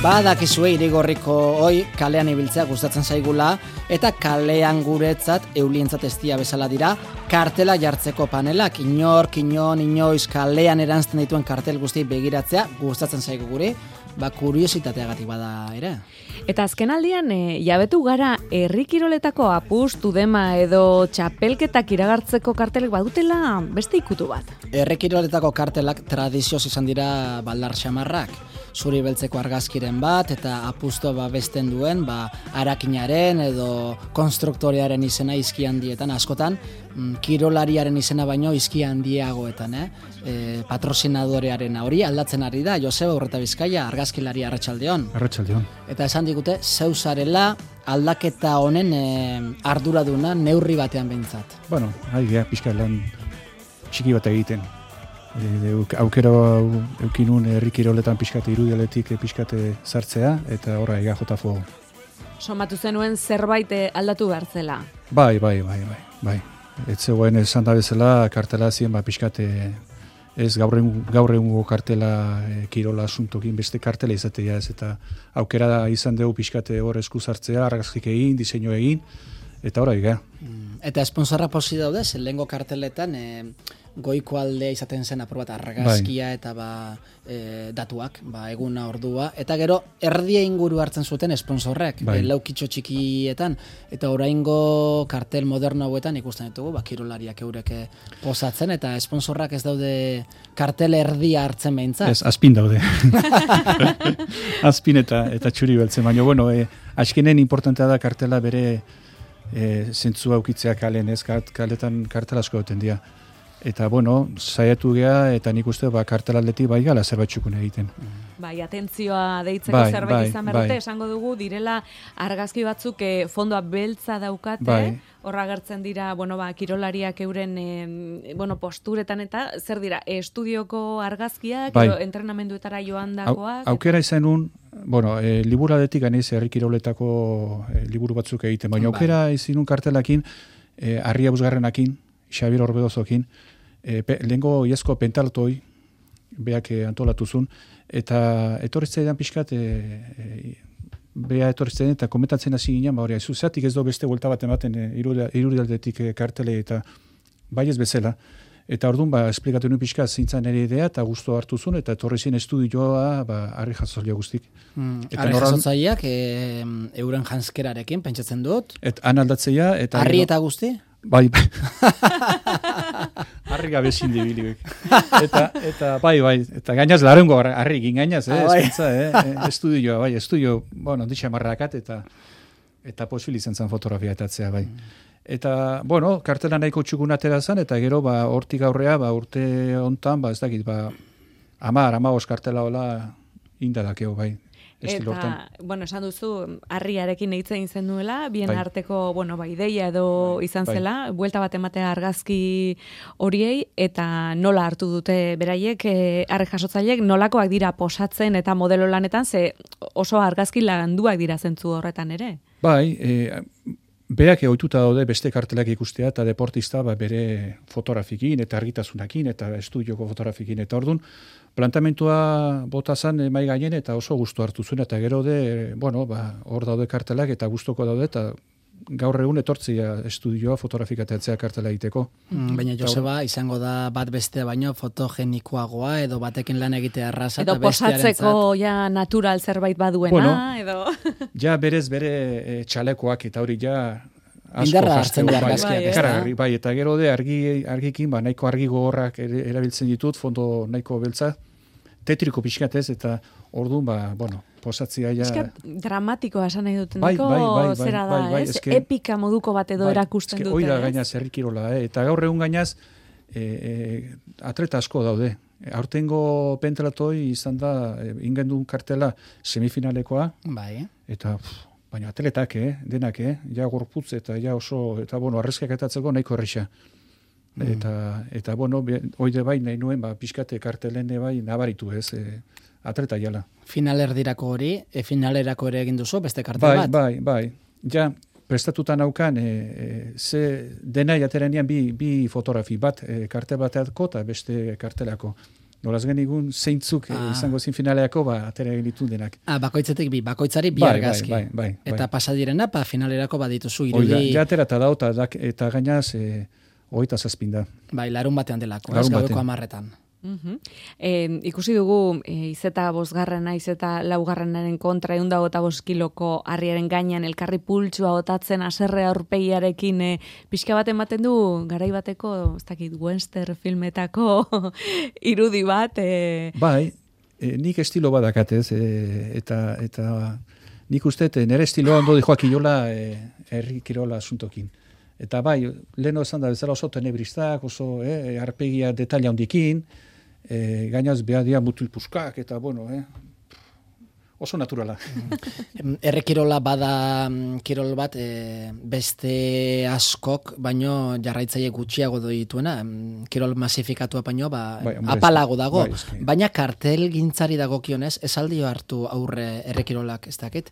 Badakizue Irigorriko hoi kalean ibiltzea gustatzen zaigula eta kalean guretzat eulientzat estia bezala dira kartela jartzeko panelak. Inoiz kalean eranzten dituen kartel guzti begiratzea gustatzen zaigu guri, kuriositateagatik bada ere. Eta azkenaldian jabetu gara herri kiroletako apustu dema edo txapelketak iragartzeko kartelek badutela beste ikutu bat. Herri kiroletako kartelak tradizioz izan dira baldar xamarrak. Zuri beltzeko argazkiren bat eta apustu babesten duen arakinaren edo konstruktorearen izena izki handietan askotan, kirolariaren izena baino izki handiagoetan, patrozinadorearen hori aldatzen ari da. Joseba Urreta Bizkaia, argazkilari Arratsaldeon. Arratsaldeon. Eta esan digute zeuzarela aldaketa honen arduraduna neurri batean behintzat. Bueno, pixka lan txiki bat egiten. Aukera eukinun herri kiroletan pixkate irudialetik pixkate sartzea eta horra EGJFO. Somatu zenuen zerbait aldatu behar zela? Bai. Ez zegoen esan da bezala kartela zien pixkate ez gaur egungo kartela kirola asuntokin beste kartela izatea ez eta aukera da izan dugu pixkate hor esku sartzea, argazkik egin, diseinu egin eta horra ega. Eta esponsorra posi daude, lehengo karteletan goiko aldea izaten zen aprobat argazkia eta datuak, eguna ordua, eta gero erdia inguru hartzen zuten esponsorrek, laukitxo txikietan, eta oraingo kartel moderno hauetan ikusten ditugu, kirolariak eurek posatzen, eta esponsorrak ez daude kartel erdia hartzen behintzat. Ez, azpin daude. Azpin eta txuri beltzen, baina, bueno, azkenen importantea da kartela bere zentzua aukitzea kalen, ez, kaletan kartel asko duten dira. Eta, bueno, saiatu gea, eta nik uste, kartelaldetik gala zerbait txukun egiten. Atentzioa deitzeko zerbait izan berrute, esango dugu, direla argazki batzuk fondoa beltza daukate, horra gertzen dira, kirolariak euren, posturetan eta, zer dira, estudioko argazkiak, entrenamenduetara joan dakoak? Aukera izan un, liburadetik ganez herri kiroletako liburu batzuk egiten, baina aukera izan un kartelakin, Arria Busgarrenakin, Xabier Orbedozokin, lehengo iazko pentaltoi, beak antolatuzun, eta etorritzaidan pixkat, bea etorritzaidan eta komentatzen hasi ginen, zuzatik ez do beste vuelta bat ematen irurialdetik kartele eta bai ez bezala. Eta orduan, esplikatu nuen pixka zintzen nire idea, eta guztu hartu zuen, eta etorri zen estudioa, Arri Jasotzailea guztik. Arri Jasotzaileak euren janskerarekin, pentsatzen dut? Han aldatzea, eta... Arri eta guzti? Bai. Arri gabe zindibili. Eta bai. Eta gainaz, larengo arri egin gainaz, estudioa, estudio, ditxamarrakat, eta posibil izan zen fotografia etatzea, bai. Eta, kartela nahiko txukun atera zen, eta gero, hortik aurrea, urte hontan, ez dakit, 10 kartela hola indadakeo, bai. Eta, esan duzu, Arriarekin eitzen izan duela, bien arteko, ideia edo izan zela, buelta bat ematea argazki horiei, eta nola hartu dute beraiek, Arri Jasotzaileek, nolakoak dira posatzen eta modelo lanetan, ze oso argazki landuak dira zentzu horretan ere? Bai, berak ohituta daude beste kartelak ikustea eta deportista bere fotografikin eta argitasunakin eta estudioko fotografikin eta ordun plantamentua bota zan mai gainen eta oso gustu hartu zuen eta gero hor daude kartelak eta gustoko daude eta gaur egun etortzia estudioa fotografikatzea kartela egiteko. Baina Joseba izango da bat bestea baino fotogenikoagoa edo batekin lan egitea erraza edo posatzeko ja natural zerbait baduena edo ja berez bere txalekoak eta hori ja indarra hartzen da argazkiak. Bai, eta gero de argikin nahiko argi gogorrak erabiltzen ditut, fondo nahiko beltza, tetriko pixkatez eta orduan posatzia ja... Eskat dramatikoa esan nahi duten zera da, ez? Epika moduko bat edo erakusten dute, ez? Hoi da gainaz herrikirola, eta gaur egun gainaz atleta asko daude. Aurtengo pentelatoi izan da ingendun kartela semifinalekoa, eta baina atletak, denak, ja gorputz eta ja oso, eta arrezkak etatzeko nahiko errisa. Eta oide bai nahi nuen, pixkate kartelene bai nabaritu ez, atleta jala. Finalerdirako hori, finalerako ere egin duzu, beste kartel bat? Bai. Ja, prestatuta naukan, ze dena jaterenean bi fotografi bat, kartel bateako eta beste kartelako. Nolaz genigun zeintzuk izango zin finaleako, atera egin denak. Bakoitzetik bakoitzari bi argazki. Bai. Eta pasadirena, finalerako badituzu irudi. Oida, jatera eta dau, eta gainaz, 27 da. Bai, larun batean delako, gaueko 10:00. Ikusi dugu izeta 5. izeta 4. kontra 125 kiloko harriaren gainean elkarri pultsua botatzen haserre aurpegiarekin pixka bat ematen du garai bateko, ez dakit, western filmetako irudi bat. Bai, nik estilo badakatez eta nik uste nire estiloa ondo dijoak iola herri kirola asuntokin. Eta bai, leheno esan da bezala oso tenebristak, oso arpegia detaila hondikin, gainaz behar dia mutil puskak, eta oso naturala. Errekirola bada kirol bat beste askok, baino jarraitzaile gutxiago dituena, kirol masifikatua baino apalago dago, baina kartel gintzari dagokionez, esaldio hartu aurre errekirolak ez dakit,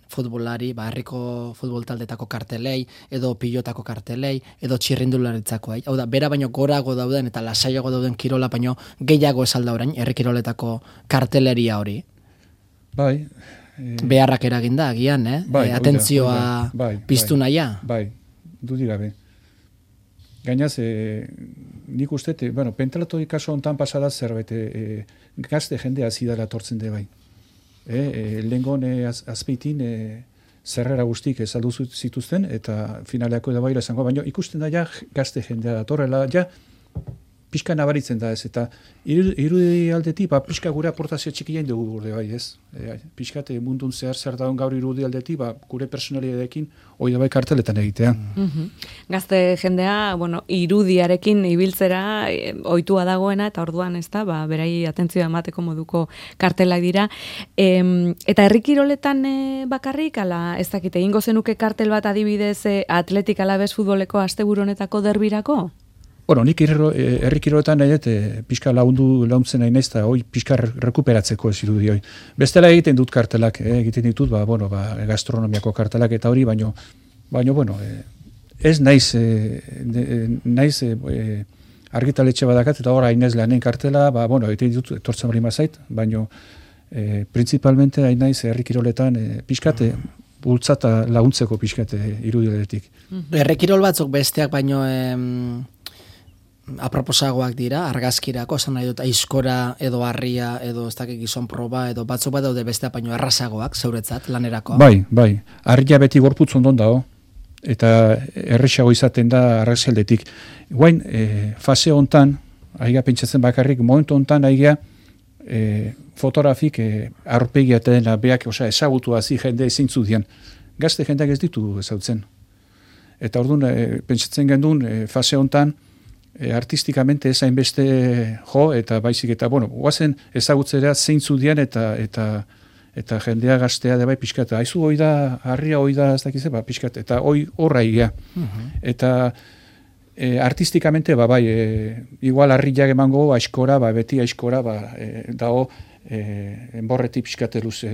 futbolari, herriko futbol taldetako kartelei, edo pilotako kartelei, edo txirrindularitzako. Hau da, bera baino gorago dauden eta lasaiago dauden kirola baino gehiago esalda orain errekiroletako karteleria hori. Bai. Beharrak eraginda, agian, atentzioa piztu naia. Bai, dudik gabe. Gainaz, nik uste, pentalatu kaso hontan pasada zerbait, gazte jendea zidara tortzen de bai. Lehengon azpeitin zerrera guztik saldu zituzten, eta finaleako edabaila esango, baina ikusten da ja gazte jendea datorrela, ja pixka nabaritzen da ez, eta irudi aldetik, pixka gure aportazio txikien dugu gurde bai ez. Pixka mundun zer daun gaur irudi aldetik, gure personaliadekin hoi da bai karteletan egitea. Gazte jendea, irudiarekin ibiltzera ohitua dagoena, eta orduan ez da, berai atentzioa emateko moduko kartelak dira. Eta herrikiroletan bakarrik, ala ez dakite, egingo zenuke kartel bat adibidez Atletik Alabes futboleko asteburu honetako derbirako? Nik herrikiroletan nahi pixka launtzen nahi naiz, eta hoi pixka rekuperatzeko ez irudi hoi. Bestela egiten dut kartelak, egiten ditut, gastronomiako kartelak eta hori, baino, ez naiz argitaletxe badakat, eta hor hainez lanen kartela, egiten ditut, etortzen hori mazait, baino, principalmente hain naiz herrikiroletan pixkate, bultzata launtzeko pixkate irudiletik. Herrikirol batzuk besteak baino aproposagoak dira, argazkirako, esan nahi dut, aizkora edo harria edo ez dakik gizon proba edo batzuk bat daude besteak baino errazagoak, zeuretzat, lanerako. Bai, harria beti gorputz ondon dago, eta erresago izaten da argazaldetik. Guain, fase hontan, aiga pentsatzen bakarrik, momentu hontan aiga fotografik aurpegia eta dena beak ezagutu hazi jende ezintzu dian. Gazte jendeak ez ditu ezautzen. Eta orduan, pentsatzen gendun, fase hontan, artistikamente ezain beste eta baizik eta, guazen ezagutzera zeintzu dian eta jendea gaztea da bai pixkat. Aizu hoi da, harria hoi da, ez dakize, pixkat, eta hoi horra egia. Eta artistikamente, igual harriak emango, aiskora, beti aiskora, dago, enborretik pixkateluz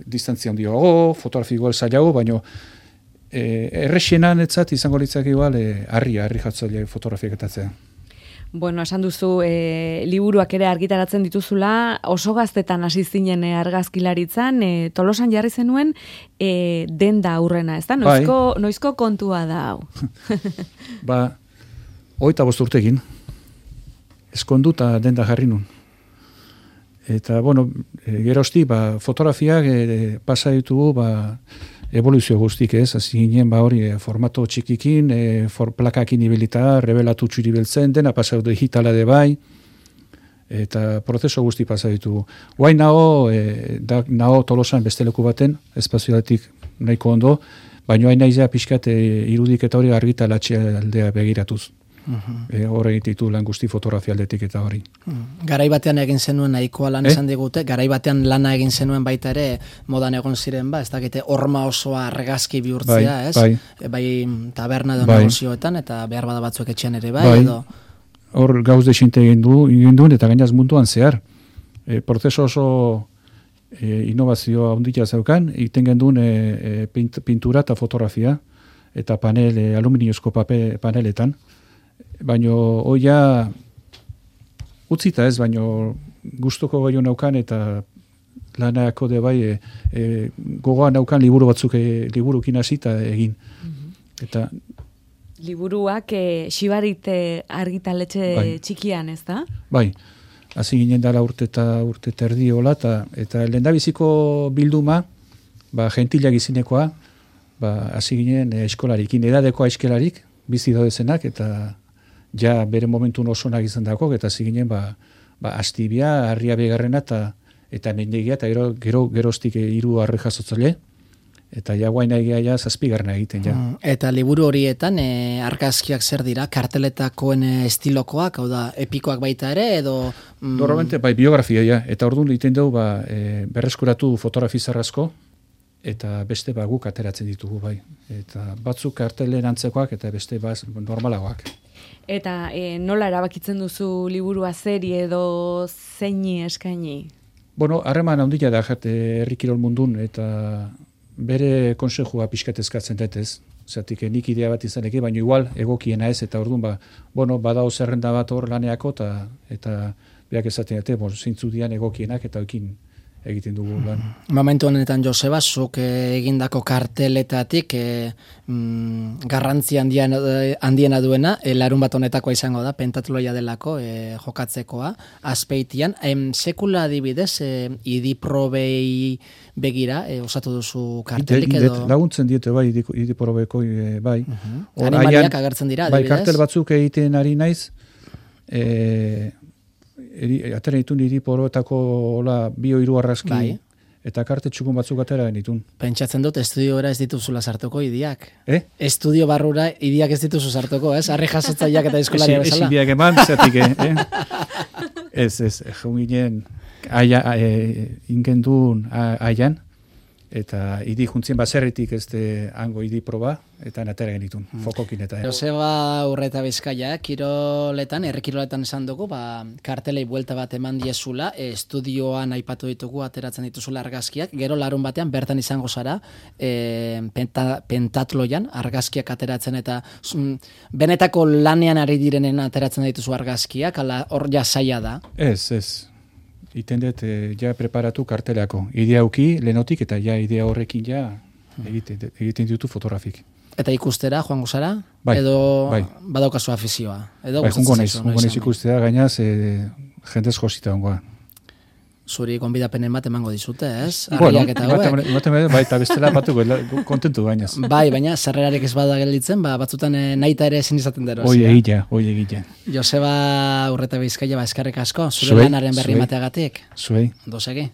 distantzia handio, fotografiko zailago, baina errexenan etzat izango litzak igual harri jatzaile fotografiaketatzea. Esan duzu, liburuak ere argitaratzen dituzula, oso gaztetan hasi zinen argazkilaritzan, Tolosan jarri zenuen denda aurrena, ez da? Noizko kontua da hau? 25 urtekin, eskonduta denda jarri nun. Eta, gerozti, fotografiak pasa ditugu, evoluzio guztik ez, hasi ginen hori formato txikikin, plakakin ibilita, revelatu txuri beltzen, dena pasa digitala de bai, eta prozeso guzti pasa ditugu. Guain naho Tolosan beste leku baten, espazioatik nahiko ondo, baina hain naizea pixkat irudik eta hori argitalatxea aldea begiratuz. Hor egititu lan guzti fotografia aldetik eta hori. Garai batean egin zenuen nahikoa lan esan digute, garai batean lana egin zenuen baita ere modan egon ziren ez dakite horma osoa argazki bihurtzea, ez? Bai taberna edo negozioetan eta behar bada batzuek etxean ere bai edo... Hor gauz desinte egin duen eta gainaz munduan zehar. Prozeso oso innovazioa ondila zeukan, egiten genduen pintura eta fotografia eta aluminiozko paneletan. Baina hoia utzita ez, baino gustoko gaio naukan eta lanako de bai gogoa naukan liburu batzuk liburukin hasita egin. Eta liburuak Xibarite argitaletxe txikian, ez da? Bai, hasi ginen dara urte terdi hola, eta lehendabiziko bilduma, gentilak izinekoa, hasi ginen eskolarikin, edadekoa eskelarik, bizi daudezenak, eta ja bere momentu osonak izan dako, eta hasi ginen, Astibia, Harria Begarrena, eta Mendegia, eta geroztik 3 arre jasotzale, eta ja guaina egia zazpigarrena egiten, ja. Eta liburu horietan, argazkiak zer dira, karteletakoen estilokoak, hau da, epikoak baita ere, edo... Normalmente, biografia, ja, eta orduan egiten dugu, berreskuratu fotografizarrazko, eta beste guk ateratzen ditugu, bai. Eta batzuk kartelen antzekoak, eta beste normalagoak. Eta nola erabakitzen duzu liburua serie edo zeini eskaini? Bueno, harreman handia da, herri kirol mundun, eta bere konsejua pixkat eskatzen detez. Zatik, nik idea bat izaneke, baina igual egokiena ez, eta orduan, badao zerrenda bat hor laneako, eta beak esaten dute, zeintzu dian egokienak, eta ekin egiten dugu lan. Momentu honetan, Joseba, zuk egindako karteletatik garrantzi handiena duena, larun bat honetakoa izango da, pentatloia delako jokatzekoa, Azpeitian. Sekula adibidez, idiprobei begira, osatu duzu kartelik edo... Laguntzen diete, bai, idiprobeko, bai. Animaliak agertzen dira, adibidez. Bai, kartel batzuk egiten ari naiz, atera ditun iriporotako 2-3 arrazki, eta karte txukun batzuk atera genitun. Pentsatzen dut, estudiora ez dituzula sartuko idiak. Estudio barrura idiak ez dituzu sartuko, ez? Arre jasotzaileak eta eskolaria bezala. Ez idiak eman, zetik, Ez, ginen ingendun aian, eta idi juntzien baserritik hango idi proba, eta natera genitun, fokokin eta... Joseba Urreta Bizkaia, kiroletan, herrikiroletan esan dugu, kartelei buelta bat eman diezula, estudioan aipatu ditugu, ateratzen dituzula argazkiak, gero larun batean bertan izango zara, pentatloian argazkiak ateratzen, eta benetako lanean ari direnen ateratzen dituzu argazkiak, hor ja zaila da. Ez. Iten dut, ja preparatu kartelako. Idea auki, lehenotik, eta ja idea horrekin ja egiten ditu fotografik. Eta ikustera, joango zara? Bai, edo bai. Badaukazu afizioa? Bai, jungo naiz ikustera, gainaz, jendez josita hongoa. Zuri gonbidapenen bat emango dizute, ez? Arriak eta hauek. Bai, eta bestela batuko, kontentu gainaz. Bai, baina zerrerarik ez bada gelditzen, batzutan naita ere ezin izaten dero. Hoi egila. Joseba Urreta Bizkaia, eskerrik asko, zure lanaren berri mateagatik. Zuei. Ondo segi.